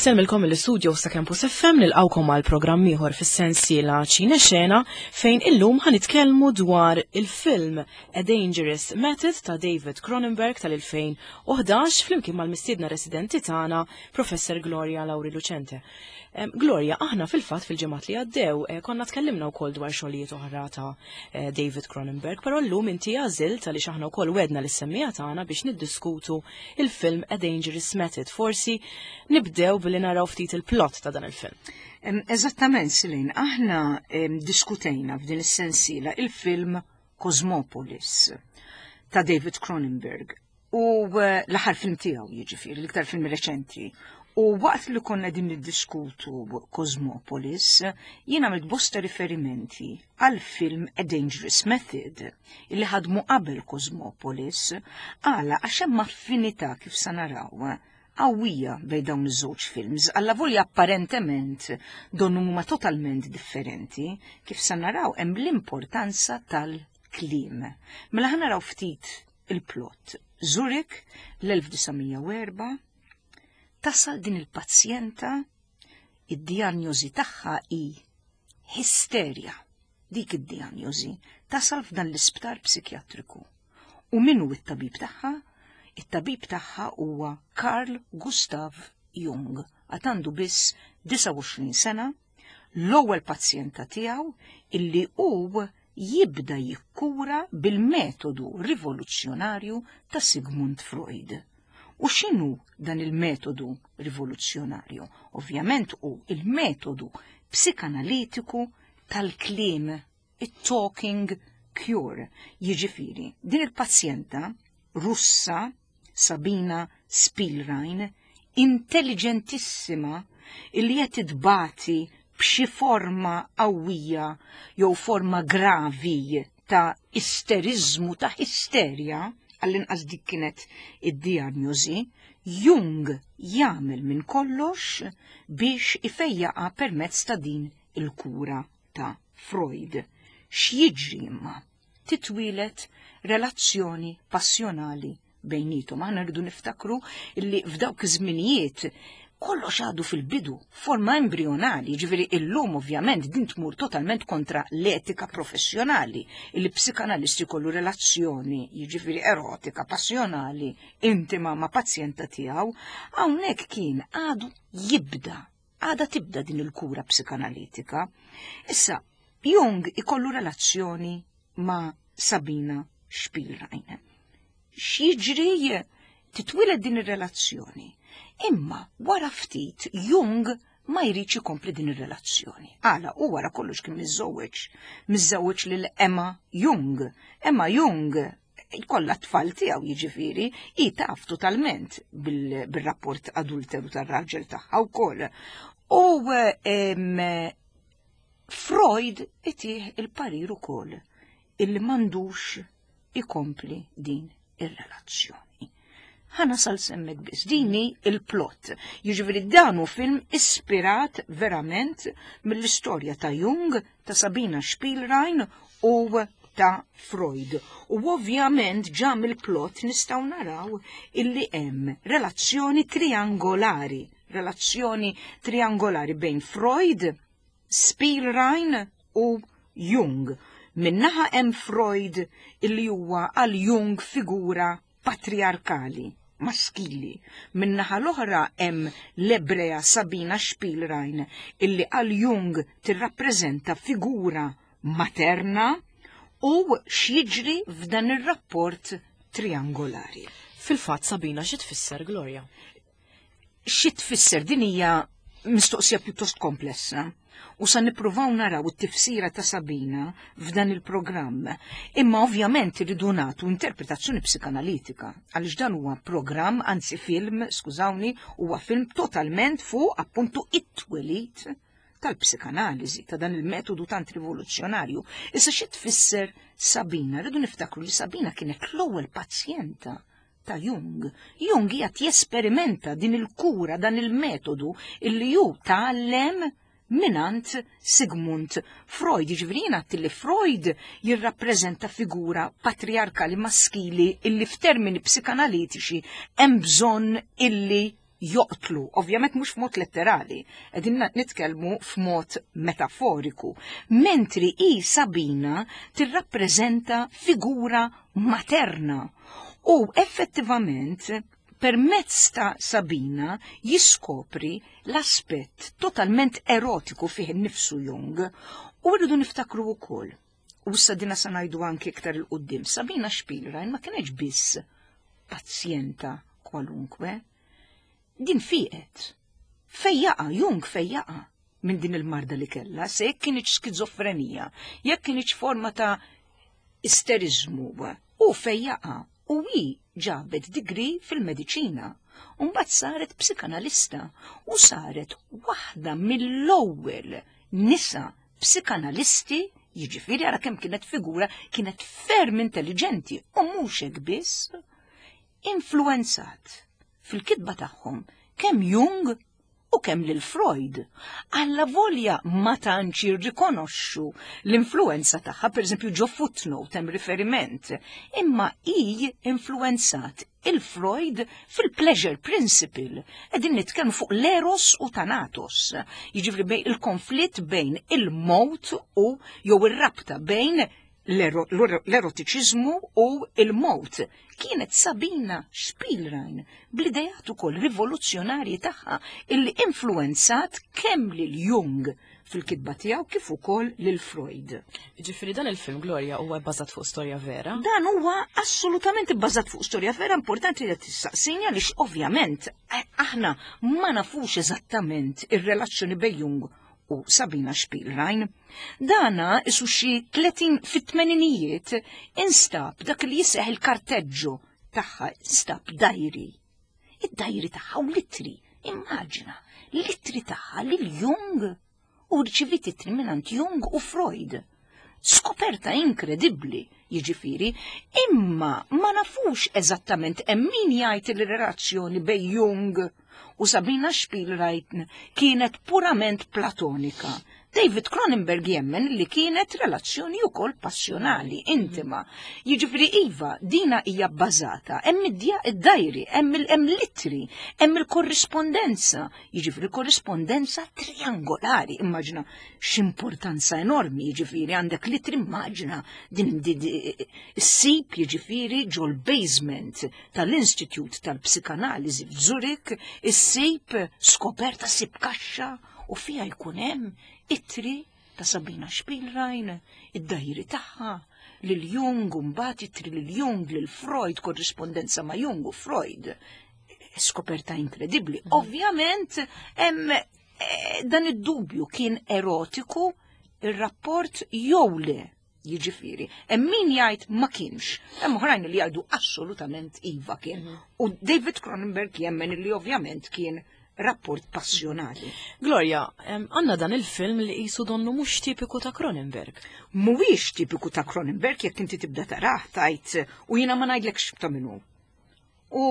Insellmilkom mill-istudio sa Campus FM nilqawkom għal programm ieħor fis-sensiela Ċine Xena fejn illum ħanitkellmu dwar il-film A Dangerous Method ta' David Cronenberg tal-2011 flimkien mal-mistiedna residenti tagħna Professor Gloria Lauri Lucente. Gloria, aħna fil-fatt fil-ġimgħat li għaddew eh, konna tkellimna wkoll dwar xogħlijiet oħra ta' eh, David Cronenberg, però llum inti għażilt għaliex aħna wkoll wedna lis-semmija tagħna biex niddiskutu il-film A Dangerous Method. Forsi nibdew billi naraw ftit il-plot ta' dan il-film. Eżattament, Silin, aħna diskutejna f'din is-sensiela il-film Cosmopolis ta' David Cronenberg u eh, l-aħħar film tiegħu jiġifieri, l-iktar film reċenti. U waqt li konna din niddiskutu Cosmopolis, jien għamilt bosta riferimenti għal film A Dangerous Method, illi ħadmu qabel Cosmopolis, għala għax hemm affinità kif sa naraw qawwija bejn dawn iż-żewġ films, allavolja apparentement donnu huma totalment differenti, kif sa naraw hemm l-importanza tal-kliem. Mela ħa naraw ftit il-plot. Zurich, l-1904, tasal din il-pazjenta, id-dijanjosi tagħha hi histerja. Dik id-dijanjosi tasal f'dan l-isptar psikjatriku. U min hu t-tabib tagħha? It-tabib tagħha huwa Carl Gustav Jung. Għad għandu biss 29 sena, l-ewwel pazjenta tiegħu illi hu jibda jikkura bil-metodu rivoluzzjonarju ta' Sigmund Freud. U x'inhu dan il-metodu rivoluzzjonarju? Ovvjament hu il-metodu psikanalitiku tal-kliem, it-talking cure. Jiġifieri, din il-pazjenta Russa Sabina Spielrein, intelligentissima illi qed tbati b'xi forma qawwija jew forma gravi ta' isteriżmu ta' isterja, għall-inqas dik kienet id-dijanjosi, Jung jagħmel minn kollox biex ifejjaqa permezz ta' din il-kura ta' Freud. X'jiġri imma? Titwieled relazzjoni passjonali bejnietom. Aħna rridu niftakru li f'dawk iż-żminijiet kollox għadu fil-bidu, forma embrionali, ġifieri illum ovvjament din tmur totalment kontra l-etika professjonali, li psikanalisti kollu relazzjoni, jiġifieri erotika, passjonali, intima ma' pazjenta tiegħu, hawnhekk kien għadu jibda, għada tibda din il-kura psikanalitika. Issa, Jung ikollu relazzjoni ma' Sabina Spielrein. X'jiġri titwieled din ir-relazzjoni. Imma wara ftit Jung ma jridx ikompli din ir-relazzjoni. Għala u wara kollox kien miżżewweġ, miżżewweġ lil Emma Jung. Emma Jung jkollha tfal tiegħu jiġifieri, hi taf totalment bil-rapport adulteru tar-raġel tagħha wkoll. U Freud itih il-parir ukoll illi m'għandux ikompli din ir-relazzjoni. Ħa nasal s'hemmhekk biss, dini il-plot. Jiġifieri dan hu film ispirat verament mill-istorja ta' Jung, ta' Sabina Spielrein u ta' Freud. U ovvjament ġa mill-plot nistgħu naraw illi hemm relazzjoni triangolari, relazzjoni triangolari bejn Freud, Spielrein u Jung. Min-naħa hemm Freud illi huwa għal Jung figura patriarkali, maskili. Min-naħa l-oħra hemm l-Ebrea Sabina Spielrein illi għal Jung tirrappreżenta figura materna u x'jiġri f'dan ir-rapport triangolari. Fil-fatt Sabina xi tfisser Gloria? Xi tfisser din hija mistoqsija pjuttost komplessa u sa nippruvaw naraw it-tifsira ta' Sabina f'dan il-programm. Imma ovvjament irridu nagħtu interpretazzjoni psikanalitika għaliex dan huwa programm, anzi film, skużawni, huwa film totalment fuq appuntu it-twelid tal-psikanaliżi, ta' dan il-metodu tant rivoluzzjonarju. Issa xi tfisser Sabina? Rridu niftakru li Sabina kienet l-ewwel pazjenta ta' Jung. Jung qiegħed jesperimenta din il-kura, dan il-metodu illi hu tgħallem minant Sigmund Freud. Jiġifieri jien għedt li Freud jirrappreżenta figura patriarkali maskili illi f'termini psikanalitiċi hemm bżonn illi joqtlu, ovvjament mhux f'mod letterali, qegħdin nitkellmu f'mod metaforiku, mentri hi Sabina tirrappreżenta figura materna u effettivament permezz ta' Sabina jiskopri l-aspett totalment erotiku fih innifsu Jung u rridu niftakru wkoll. U issa dina sa ngħidu anki iktar 'il quddiem, Sabina Spielrein ma kienx biss pazjenta kwalunkwe. Din fiqet. Fejjaqa, Jung fejjaqa minn din il-marda li kellha, se jekk kienx skizofrenija, jekk kienx forma ta' isterizmu, u fejjaqa u hi ġabet degree fil-mediċina. U mbagħad saret psikanalista u saret waħda mill-ewwel nisa psikanalisti, jiġifieri ara kemm kienet figura, kienet ferm intelligenti u mhux hekk biss, influenzat fil-kitba tagħhom kemm Jung u kemm lil Freud. Alla volja ma tantx jirrikonoxxu l-influenza tagħha, pereżempju ġo footnote hemm riferiment, imma hi influenzat il-Freud fil-pleasure principle. Qegħdin nitkellmu fuq l-eros u thanatos. Jiġifieri bejn il-konflitt bejn il-mowt u jew ir-rabta bejn l-erotiċiżmu u il-mowt. Kienet Sabina Spielrein bl-idejat ukoll rivoluzzjonarji tagħha illi influenzat kemm lil Jung fil-kitba tiegħu kif ukoll lil Freud. Ġifieri dan il-film Gloria huwa bbażat fuq storja vera? Dan huwa assolutament bbażat fuq storja vera, importanti li tistaqsini għaliex ovvjament aħna ma nafux eżattament ir-relazzjoni bejn Jung u Sabina Spielrein. Dana isu xi 30 fit-tmeninijiet instab dak li jiseħ il-karteġġu tagħha instab dajri. Id-dajri tagħha u litri, immaġina, litri tagħha lil Jung u rċivit ittri mingħand Jung u Freud. Skoperta inkredibbli, jiġifieri, imma ma nafux eżattament hemm min jgħid li relazzjoni bejn Jung u Sabina Spielrein kienet purament platonika. David Cronenberg jemmen li kienet relazzjoni wkoll passjonali, intima. Jiġifieri iva, dina hija bbażata, hemm id-dajri, hemm l-ittri, hemm il-korrispondenza, jiġifieri korrispondenza triangolari, immaġina x'importanza enormi, jiġifieri għandek l-ittri, immaġina din issib jiġifieri ġol-basement tal-Institute tal-Psikanaliżi f'Zurich, issib skoperta, ssib kaxxa u fiha jkun hemm ittri ta' Sabina Spielrein, id-dajri tagħha, lil Jung, u mbagħad ittri lil Jung, lil Freud, korrispondenza ma' Jung u Freud. Skoperta inkredibbli. Ovvjament, hemm dan id-dubju kien erotiku ir-rapport jew le. Jiġifieri, hemm min jgħid ma kienx, hemm oħrajn li jgħidu assolutament iva kien. U David Cronenberg jemmen li ovvjament kien rapport passjonali. Gloria, għandna dan il-film li qisu donnu mhux tipiku ta' Cronenberg. Mhuwiex tipiku ta' Cronenberg jekk inti tibda tarah tajt u jiena ma ngħidlekx ta' min hu. U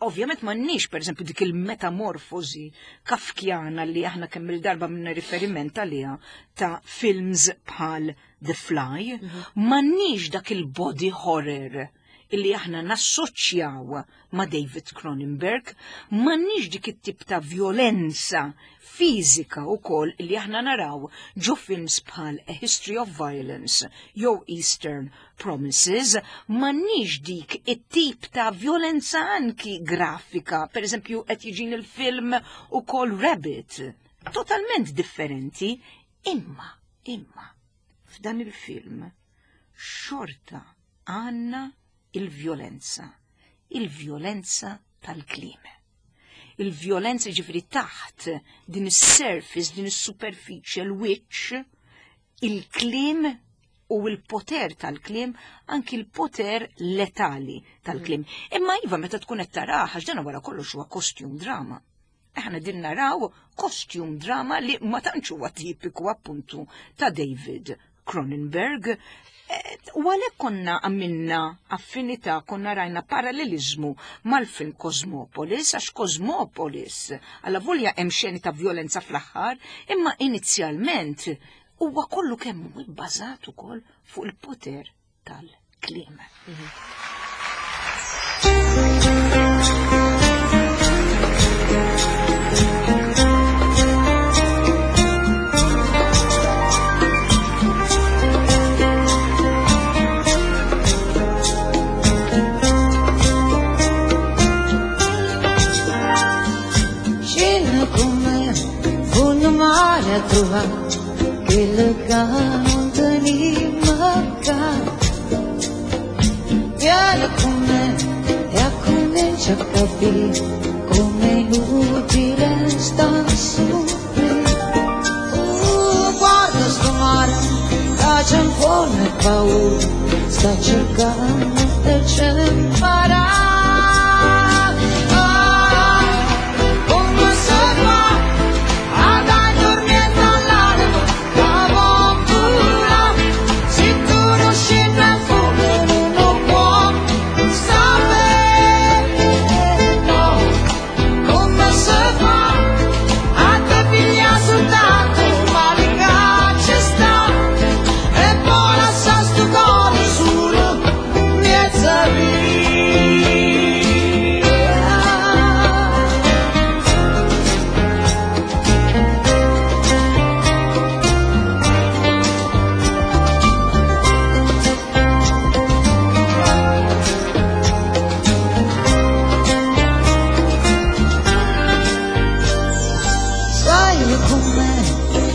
ovvjament m'għandniex pereżempju dik il-metamorfosi kafkjana li aħna kemm il-darba minna riferiment għaliha ta' films bħal The Fly, m'għandniex dak il-body horror illi aħna nassoċjaw ma' David Cronenberg, m'għandniex dik it-tip ta' violenza fiżika wkoll illi aħna naraw ġo films bħal A History of Violence jew Eastern Promises, m'għandniex dik it-tip ta' violenza anki grafika, per eżempju qed jiġin il-film ukoll Rabbit, totalment differenti, imma, imma, f'dan il-film xorta għandna il-vjolenza, il-vjolenza tal-kliem. Il-vjolenza ġifri taħt din is-surface, din is-superfiċje, l-wiċċ, il-kliem u l-poter tal-kliem, anki l-poter letali tal-kliem. Imma iva meta tkun qed tarah, għax dan wara kollox huwa costume drama. Aħna din naraw costume drama li ma tantx huwa tipiku appuntu ta' David Cronenberg. U għalhekk konna għamilna affinità, konna rajna parallelizmu mal-film Cosmopolis, għax Cosmopolis, alla volja hemm xeni ta' violenza fl-aħħar, imma inizjalment huwa kollu kemm hu bbażat ukoll fuq il-poter tal-kliem. mare a trovà quello che non teniamo qua. Vieni con me e comincia a capire come è inutile star su. Guarda sto mare, che c'è un po' paura, sta cercando di ci imparare. Ah, come si fa ad addormentare l'anima che può volare? Se tu non scendi a fondo non lo puoi sapere, no. Come si fa a te pigliare soltanto il male che ci sta e poi lasciare sto cuore solo in mezzo a via. Sali con me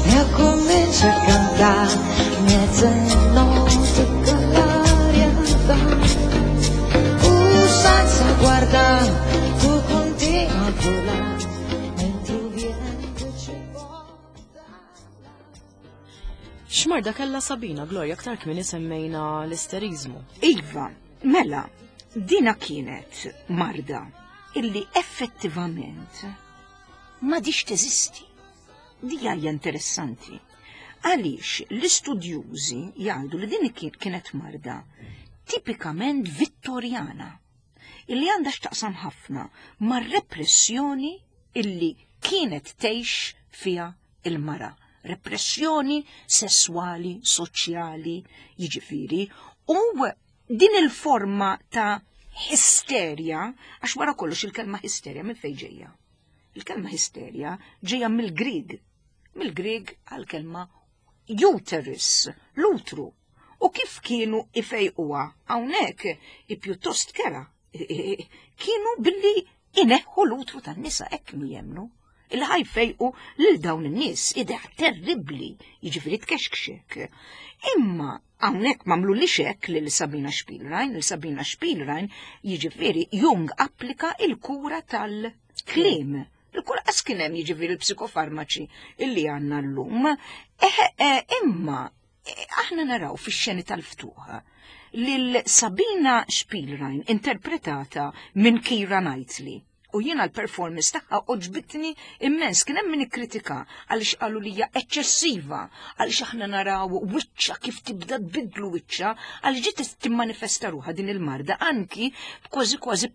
e comincia a cantare mezzanotte che l'aria fa. Senza guardare, tu continui a volare mentre il vento ci porta. X'marda kellha Sabina, Gloria, aktar kmieni semmejna l-isterizmu. Iva, mela, dina kienet marda illi effettivament m'għadhiex teżisti. Dija hija interessanti. Għaliex l-istudjużi jgħidu li din kienet marda tipikament vittorjana, illi għandha x'taqsam ħafna mar-repressjoni illi kienet tgħix fiha il-mara. Repressjoni sesswali, soċjali, jiġifieri, u din il-forma ta' isterja, għax wara kollox il-kelma isterja minn fejn ġejja? Il-kelma isterja ġejja mill-Grieg, mill-Grieg għal-kelma uterus, l-utru. U kif kienu ifejquha hawnhekk i pjuttost kera, kienu billi ineħħu l-utru tan-nisa, hekk kienu jemmnu. Il ħa jfejqu lil dawn in-nies, idea terribbli, jiġifieri tkexkxek. Imma hawnhekk m'għamlu li xek lil Sabina Spielrein, lil Sabina Spielrein jiġifieri Jung applika il-kura tal-kliem. Il-kura qas kien hemm jiġifieri l-psikofarmaċi illi għandna llum. Imma aħna naraw fix-xeni tal-ftuħ lil Sabina Spielrein interpretata minn Keira Knightley. U jiena l-performance tagħha għoġbitni immens, kien hemm min ikkritika għaliex qalu li hija eċċessiva, għaliex aħna naraw wiċċa kif tibda tbidlu wiċċa, għaliex ġiet timmanifesta ruħha din il-marda anki kważi kważi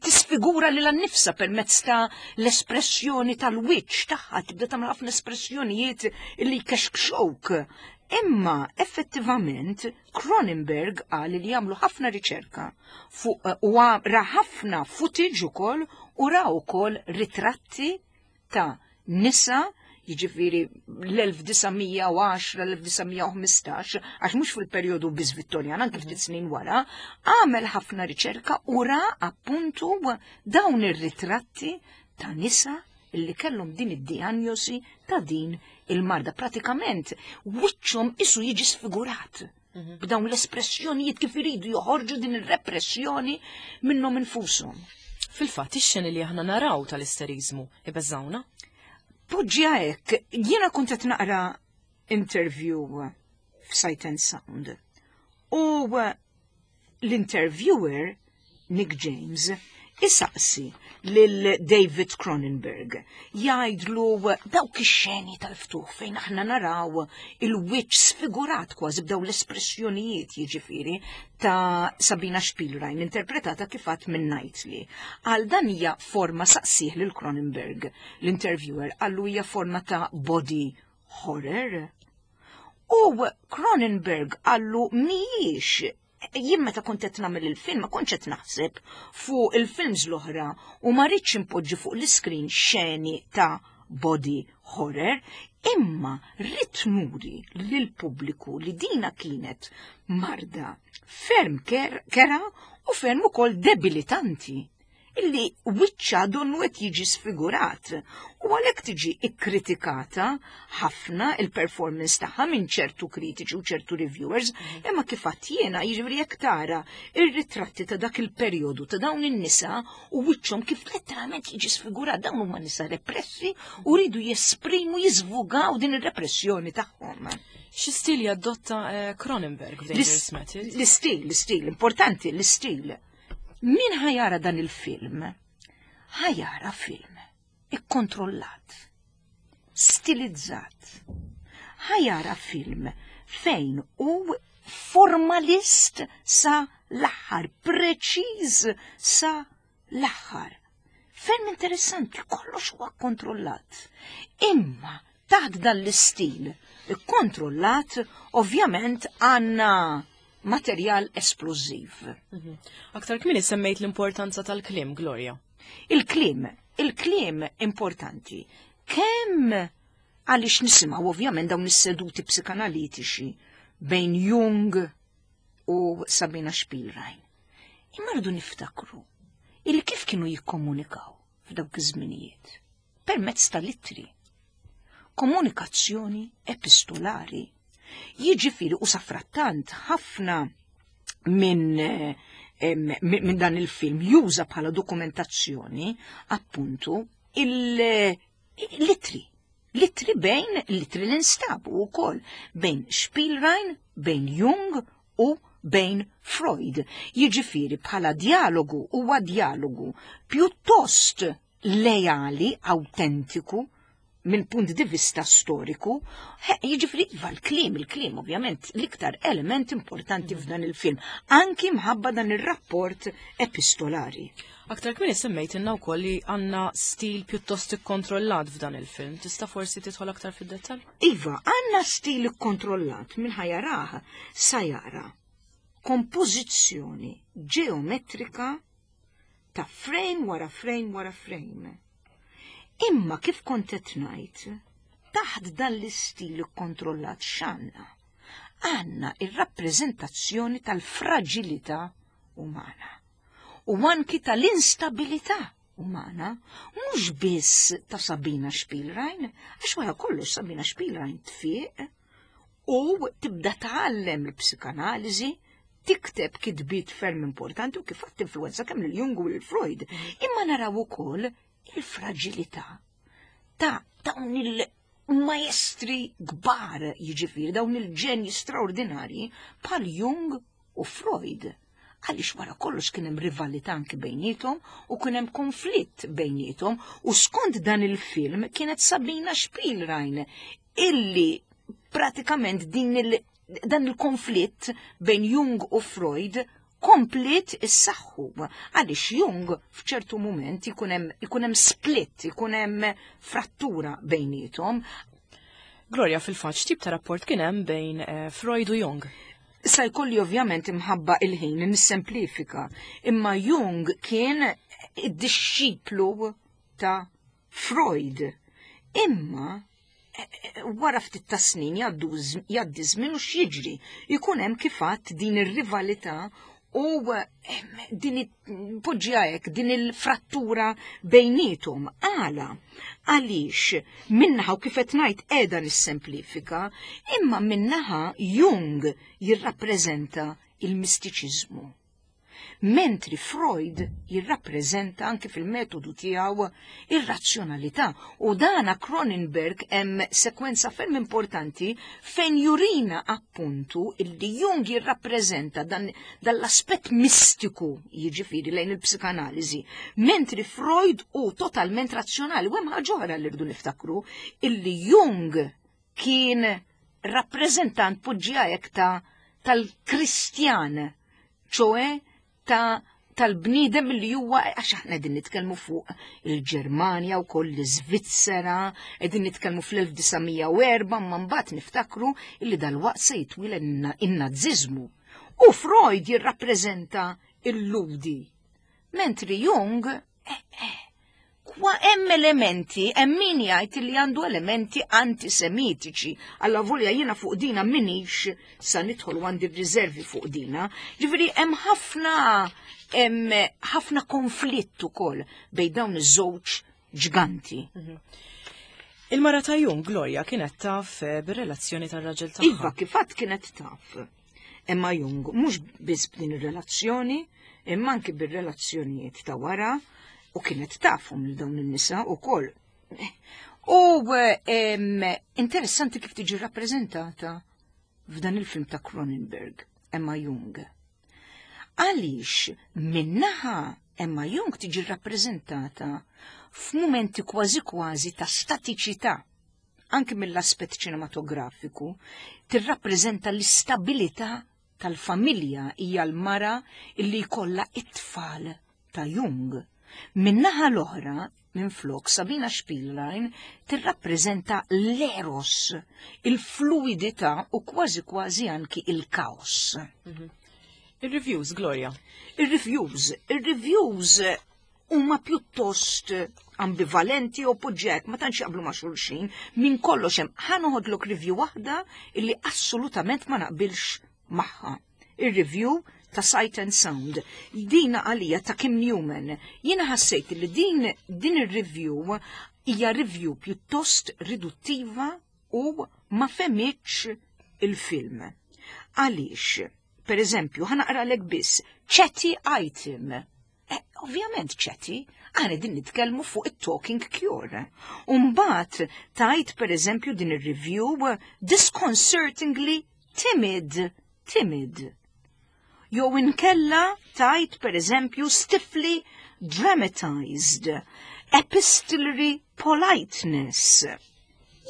tisfigura lilha nnifsha permezz ta' l-espressjoni tal-wiċċ tagħha, tibda tagħmel ħafna espressjonijiet li jkexkxuk. Imma effettivament Cronenberg qal li jagħmlu ħafna riċerka fuq u ra ħafna footage ukoll u ra wkoll ritratti ta' nisa, jiġifieri l-1910, l-1915, għax mhux fil-perjodu biss Vittorjan, anke ftit snin wara, għamel ħafna riċerka u ra appuntu dawn ir-ritratti ta' nisa illi kellhom din id-diagnosi ta' din il-marda. Pratikament wiċċhom isu jiġi sfigurat b'dawn l-espressjonijiet kif iridu joħorġu din ir-repressjoni minnhom infushom. Fil-fatt ix-xeni li aħna naraw tal-isterizmu ibeżawna. Poġġiha hekk, jiena kont qed naqra interview f'Sight and Sound u l-interviewer Nick James isaqsi lil David Cronenberg, jgħidlu dawk ix-xeni tal-ftuħ fejn aħna naraw il-wiċċ sfigurat kważi b'daw l-espressjonijiet jiġifieri ta' Sabina Spielrein interpretata kif għadt minn Knightley. Għal dan hija forma saqsih lil Cronenberg, l-interviewer qallu hija forma ta' body horror. U Cronenberg qallu mhijiex, jien meta kont qed nagħmel il-film ma kontx qed naħseb fuq il-films l-oħra u ma rridx impoġġi fuq l-iskrin xeni ta' body horror, imma rrid nuri lill-pubbliku li dina kienet marda ferm kera u ferm ukoll debilitanti. illi wiċċha donnu qed jiġi sfigurat u għalhekk tiġi ikkritikata ħafna il-performance tagħha minn ċertu kritiċi u ċertu reviewers, imma kif għedt jiena, jiġifieri jekk tara ir-ritratti ta' dak il-perjodu ta' dawn in-nisa u wiċċhom kif letteralment jiġi sfigurat, dawn huma nisa repressi u rridu jesprimu, jiżvugaw din ir-repressjoni tagħhom. Xi stil jadotta Cronenberg f'Dangerous Method? L-istil, l-istil, importanti, l-istil. Min ħa jara dan il-film? Ħa jara film ikkontrollat, stilizzat. Ħa jara film fejn hu formalist sa l-aħħar, preċiż sa l-aħħar. Ferm interessanti, kollox huwa kontrollat. Imma taħt dan l-istil ikkontrollat, ovvjament għandna materjal esplużiv. Aktar kmieni semmejt l-importanza tal-kliem, Gloria. Il-kliem, il-kliem importanti. Kemm għaliex nisimgħu ovvjament dawn is-seduti psikanalitiċi bejn Jung u Sabina Spielrein. Imma rridu niftakru il kif kienu jikkomunikaw f'dawk iż-żminijiet permezz tal-ittri. Komunikazzjoni epistolari. Jiġifieri u safrattant ħafna minn dan il-film juża bħala dokumentazzjoni appuntu il-ittri. L-ittri bejn, l-ittri li nstabu wkoll bejn Spielrein, bejn Jung u bejn Freud. Jiġifieri bħala dialogu huwa dialogu pjuttost lejali, autentiku, minn punt di vista storiku, jiġifieri iva l-kliem, il-kliem ovvjament l-iktar element importanti f'dan il-film, anki mħabba dan ir-rapport epistolari. Aktar kmieni semmejtilna wkoll li għandna stil pjuttost ikkontrollat f'dan il-film. Tista' forsi tidħol aktar fid-dettall? Iva, għandna stil ikkontrollat minn ħa jarah sa jara kompożizzjoni ġeometrika ta' frame wara frame wara frame. Imma kif kont qed ngħid, taħt dan l-istil ikkontrollat x'għandna? Għandna ir-rappreżentazzjoni tal-fraġilità umana u anki tal-instabilità umana, mhux biss ta' Sabina Spielrein, għax wara kollox Sabina Spielrein tfiq u tibda tgħallem l-psikanaliżi, tikteb kitbiet ferm importanti u kif għat influenza kemm lil Jung u lil Freud. Imma naraw ukoll il-fraġilità ta' dawn il-maestri kbar, jiġifieri dawn il-ġenji straordinarji bħal Jung u Freud. Għaliex wara kollox kien hemm rivalità anki bejniethom u kien hemm konflitt bejniethom u skont dan il-film kienet Sabina Spielrein illi pratikament dan il-konflitt bejn Jung u Freud komplet issaħħu. Għaliex Jung f'ċertu moment ikun hemm split, ikun hemm frattura bejniethom. Gloria, fil-fatt, x'tip ta' rapport kien hemm bejn Freud u Jung? Sa jkolli ovvjament imħabba il-ħin nissemplifika, imma Jung kien id-dixxiplu ta' Freud. Imma wara ftit ta' snin jgħaddi żmien u x'jiġri, ikun hemm kif għadt din ir-rivalità u din poġġiha hekk, din il-frattura bejniethom. Għala? Għaliex minnaħa u kif qed ngħid qiegħda nissemplifika, imma minnaħa Jung jirrappreżenta il-mistiċiżmu. Mentri Freud jirrappreżenta anki fil-metodu tiegħu ir-razzjonalità. U dana Cronenberg hemm sekwenza ferm importanti fejn jurina appuntu illi Jung jirrappreżenta dan l-aspett mistiku, jiġifieri lejn il-psikanaliżi, mentri Freud hu totalment razzjonali. U hemm ħaġa oħra li rridu niftakru, illi Jung kien rappreżentant poġġiha hekk tal-Kristjan, ċoe tal-bniedem li huwa, għax aħna qegħdin nitkellmu fuq il-Ġermanja u koll l-Iżvizzera, qegħdin nitkellmu fl-1904, ma mbagħad niftakru li dal-waqt se jitwieled in-Naziżmu. U Freud jirrappreżenta il-Ludi, mentri Jung, Kwa hemm elementi, hemm min jgħid li għandu elementi antisemitiċi. Alla volja jiena fuq dina minix sa nidħol u għandi riservi fuq dina. Ġifieri hemm ħafna hemm ħafna konflitt ukoll bejn dawn iż-żewġ ġganti. Il-mara ta' Jung, Gloria, kienet taf eh, bir-relazzjoni tar-raġel tagħha. Iva, kifat kienet taf. Emma Jung, mhux biss b'din ir-relazzjoni, imma anki bir-relazzjonijiet ta' wara u kienet tafhom lil dawn in-nisa wkoll. U interessanti kif tiġi rappreżentata f'dan il-film ta' Cronenberg, Emma Jung. Għaliex minnaħa Emma Jung tiġi rappreżentata f'mumenti kważi kważi ta' statiċità anki mill-aspett ċinematografiku, tirrappreżenta l-istabilità tal-familja hija l-mara illi jkollha it-tfal ta' Jung. Min-naħa l-oħra, minflok Sabina Spielrein tirrappreżenta l-eros, il-fluidità u kważi kważi anki il-kaos. Mhm. Il-reviews, Gloria. Il-reviews, il-reviews huma pjuttost ambivalenti u poġġek ma tantx jaqblu ma' xulxin, minn kollox hemm ħa noħodlok review waħda illi assolutament ma naqbilx magħha. Ir-review ta' Sight and Sound. Dina għalija ta' Kim Newman. Jiena ħassejt li din din ir-review hija review pjuttost riduttiva u ma fehmitx il-film. Għaliex? Per eżempju, ħa naqralek biss chatty item Eh, ovvjament chatty, aħna din nitkellmu fuq it-talking cure. Umbat tajt per eżempju din ir-review disconcertingly timid, timid. Jew inkella tajt per eżempju stiffly dramatized, epistolary politeness.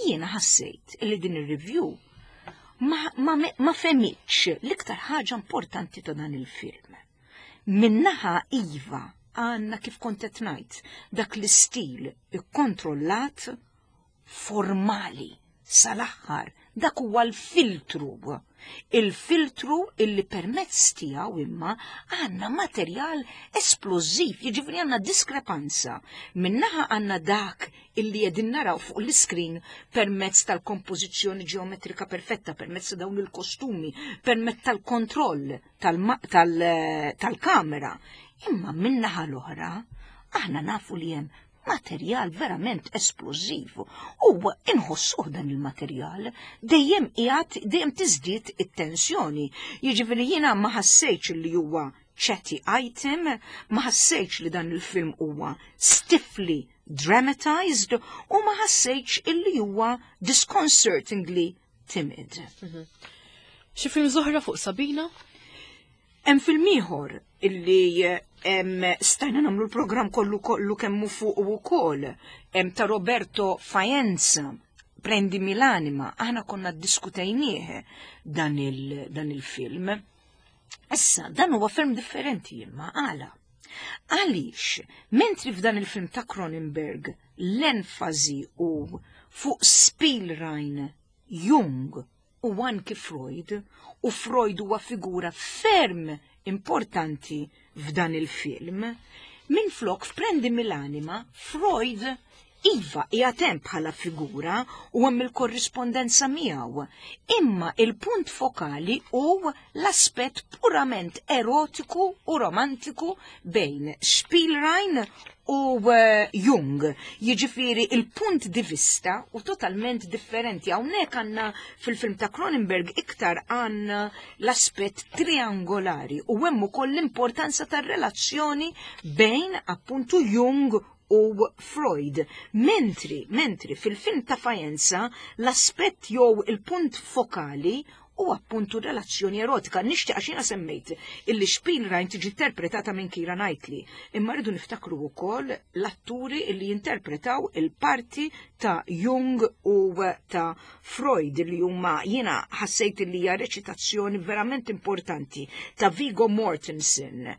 Jiena ħassejt li din ir-review ma, ma, ma fehmitx l-iktar ħaġa importanti ta' dan il-film. Min-naħa iva għandna kif kont qed ngħid dak l-istil ikkontrollat formali sal-aħħar dak huwa l-filtru. Il-filtru illi permezz tiegħu imma għandna materjal esplożiv, jiġifieri għandna diskrepanza. Min-naħa għandna dak illi qegħdin naraw fuq l-iskrin permezz tal-kompożizzjoni ġeometrika perfetta, permezz ta' dawn il-kostumi, permezz tal-kontroll tal-kamera. Imma min-naħa l-oħra, aħna nafu li hemm materjal verament esplożiv u inħossuh dan il-materjal dejjem qiegħed dejjem tiżdied it-tensjoni. Jiġifieri jiena ma ħassejtx li huwa chatty item, ma ħassejtx li dan il-film huwa stiffly dramatized u ma ħassejtx illi huwa disconcertingly timid. Mhm. Xi film oħra fuq Sabina? Hemm film ieħor illi stajna nagħmlu l-programm kollu kollu kemmu fuq ukoll hemm ta' Roberto Faenza Prendimi l'anima, aħna konna ddiskutejnieh dan il-film. Issa, dan huwa film differenti imma għala. Għaliex, mentri f'dan il-film ta' Cronenberg l-enfasi u fuq Spielrein, Jung u anki Freud, u Freud huwa figura ferm importanti f'dan il-film, minflok f'Prendimi l'anima, Freud iva qiegħed hemm bħala figura u hemm il-korrispondenza miegħu, imma il-punt fokali hu l-aspett purament erotiku u romantiku bejn Spielrein u eh, Jung. Jiġifieri il-punt di vista u totalment differenti. Hawnhekk għandna fil-film ta' Cronenberg iktar għandna l-aspett triangolari u hemm ukoll l-importanza tar-relazzjoni bejn appuntu Jung u Freud. Mentri, mentri fil-film ta' Faenza l-aspett jew il-punt fokali u appuntu relazzjoni erotika. Nixtieq għax jiena semmejt illi Spielrein tiġi interpretata minn Keira Knightley, imma rridu niftakru wkoll l-atturi illi jinterpretaw il-parti ta' Jung u ta' Freud li huma jiena ħassejt illi hija reċitazzjoni verament importanti ta' Viggo Mortensen.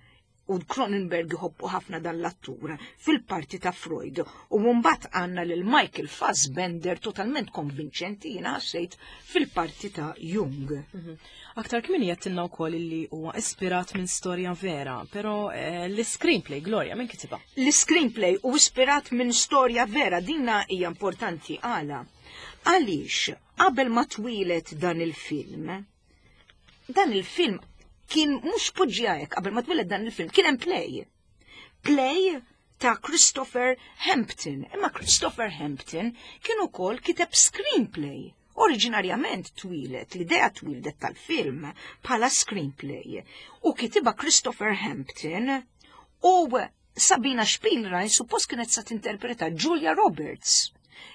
u Cronenberg iħobbu ħafna dan l-attur fil-parti ta' Freud. U mbagħad għandna lil Michael Fassbender totalment konvinċenti jiena ħassejt fil-parti ta' Jung. Aktar kmieni għedtilna wkoll li huwa ispirat minn storja vera, però eh, l-screenplay, Gloria, minn kitibha? L-screenplay u ispirat minn storja vera dina hija importanti għala. Għaliex qabel ma twieled dan il-film, dan il-film kien mhux poġġija hekk qabel ma twieled dan il-film, kien hemm play. Play ta' Christopher Hampton. Imma Christopher Hampton kien ukoll kiteb screenplay. Oriġinarjament twieled, l-idea twieldet tal-film bħala screenplay. U kitibha Christopher Hampton u Sabina Spielrein suppost kienet sa tinterpreta Julia Roberts.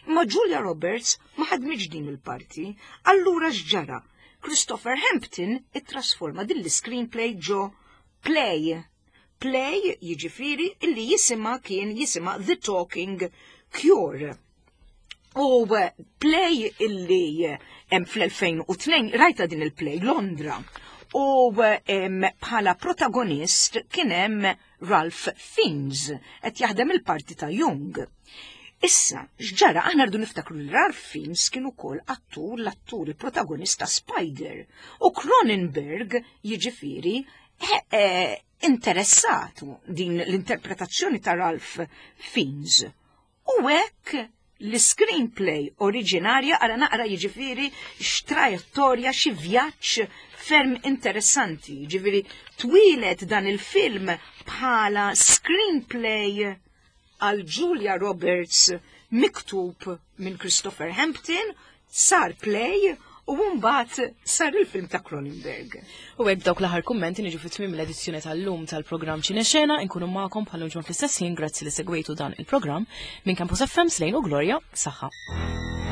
Imma Julia Roberts ma ħadmitx din il-parti, allura x'ġara? Christopher Hampton ittrasforma din l-screenplay ġo play. Play jiġifieri illi jisimha kien jisimha The Talking Cure. U play illi hemm fl-2002 rajta din il-play Londra. U bħala protagonist kien hemm Ralph Fiennes qed jaħdem il-parti ta' Jung. Issa, x'ġara aħna rridu niftakru li Ralph Fiennes kien ukoll attur l-attur il-protagonist ta' Spider. U Cronenberg jiġifieri eh, interessatu din l-interpretazzjoni ta' Ralph Fiennes. U hekk l-screenplay oriġinarja għara naqra jiġifieri x'trajettorja xi vjaġġ ferm interessanti. Jiġifieri twieled dan il-film bħala screenplay għal Julia Roberts miktub minn Christopher Hampton, sar play u mbagħad sar il-film ta' Cronenberg. U hekk dawk l-aħħar kummenti niġu fi tmiem l-edizzjoni tal-lum tal-programm Ċinexena, inkunu magħkom bħal ġimgħa fl-istess ħin grazzi li segwejtu dan il-programm minn Campus FM Slejn u Gloria, saħħa.